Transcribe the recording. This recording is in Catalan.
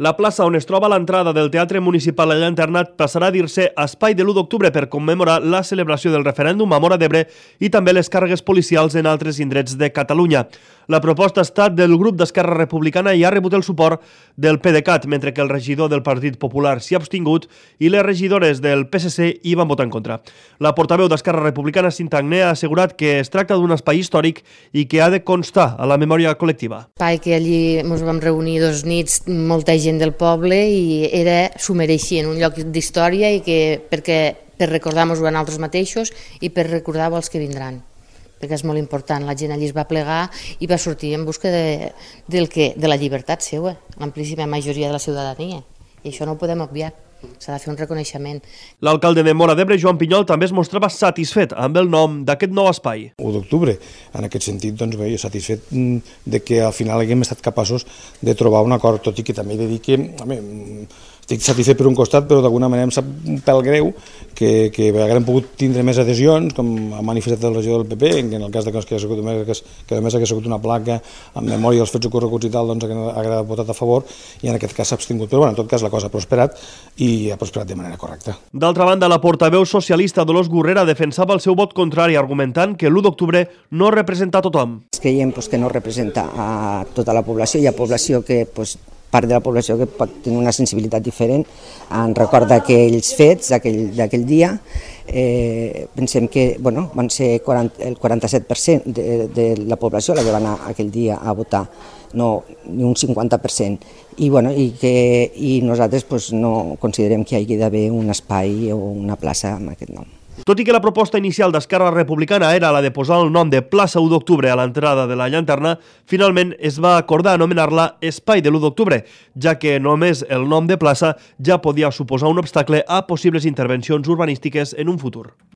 La plaça on es troba l'entrada del Teatre Municipal allà internat passarà a dir-se espai de l'1 d'octubre per commemorar la celebració del referèndum a Móra d'Ebre i també les càrregues policials en altres indrets de Catalunya. La proposta ha estat del grup d'Esquerra Republicana i ha rebut el suport del PDeCAT, mentre que el regidor del Partit Popular s'hi ha abstingut i les regidores del PSC hi van votar en contra. La portaveu d'Esquerra Republicana, Cinta Agné, ha assegurat que es tracta d'un espai històric i que ha de constar a la memòria col·lectiva. Espai que allí ens vam reunir 2 nits, molta gent del poble, i s'ho mereixien, un lloc d'història i que per recordar-nos-ho a nosaltres mateixos i per recordar-ho als que vindran, perquè és molt important. La gent allí es va plegar i va sortir en busca de la llibertat seva, l'amplíssima majoria de la ciutadania, i això no ho podem obviar. S'ha de fer un reconeixement. L'alcalde de Móra d'Ebre, Joan Pinyol, també es mostrava satisfet amb el nom d'aquest nou espai. 1 d'octubre, en aquest sentit, doncs bé, satisfet de que al final haguem estat capaços de trobar un acord, tot i que també he de dir que, estic satisfet per un costat, però d'alguna manera em sap un pèl greu que haguem pogut tindre més adhesions, com ha manifestat el regidor del PP, que en el cas que només hagués sigut una placa en memòria dels fets ocorreguts i tal, doncs hagués votat a favor i en aquest cas s'ha abstingut. Però en tot cas la cosa ha prosperat i ha prosperat de manera correcta. D'altra banda, la portaveu socialista Dolors Gurrera defensava el seu vot contrari, argumentant que l'1 d'octubre no representa a tothom. Creiem que no representa a tota la població. Hi ha població que part de la població que pot tenir una sensibilitat diferent en record d'aquells fets, d'aquell dia. Pensem que van ser el 47% de la població la que va anar aquell dia a votar, no ni un 50%. I nosaltres no considerem que hi hagi d'haver un espai o una plaça amb aquest nom. Tot i que la proposta inicial d'Esquerra Republicana era la de posar el nom de plaça 1 d'octubre a l'entrada de la llanterna, finalment es va acordar anomenar-la Espai de l'1 d'octubre, ja que només el nom de plaça ja podia suposar un obstacle a possibles intervencions urbanístiques en un futur.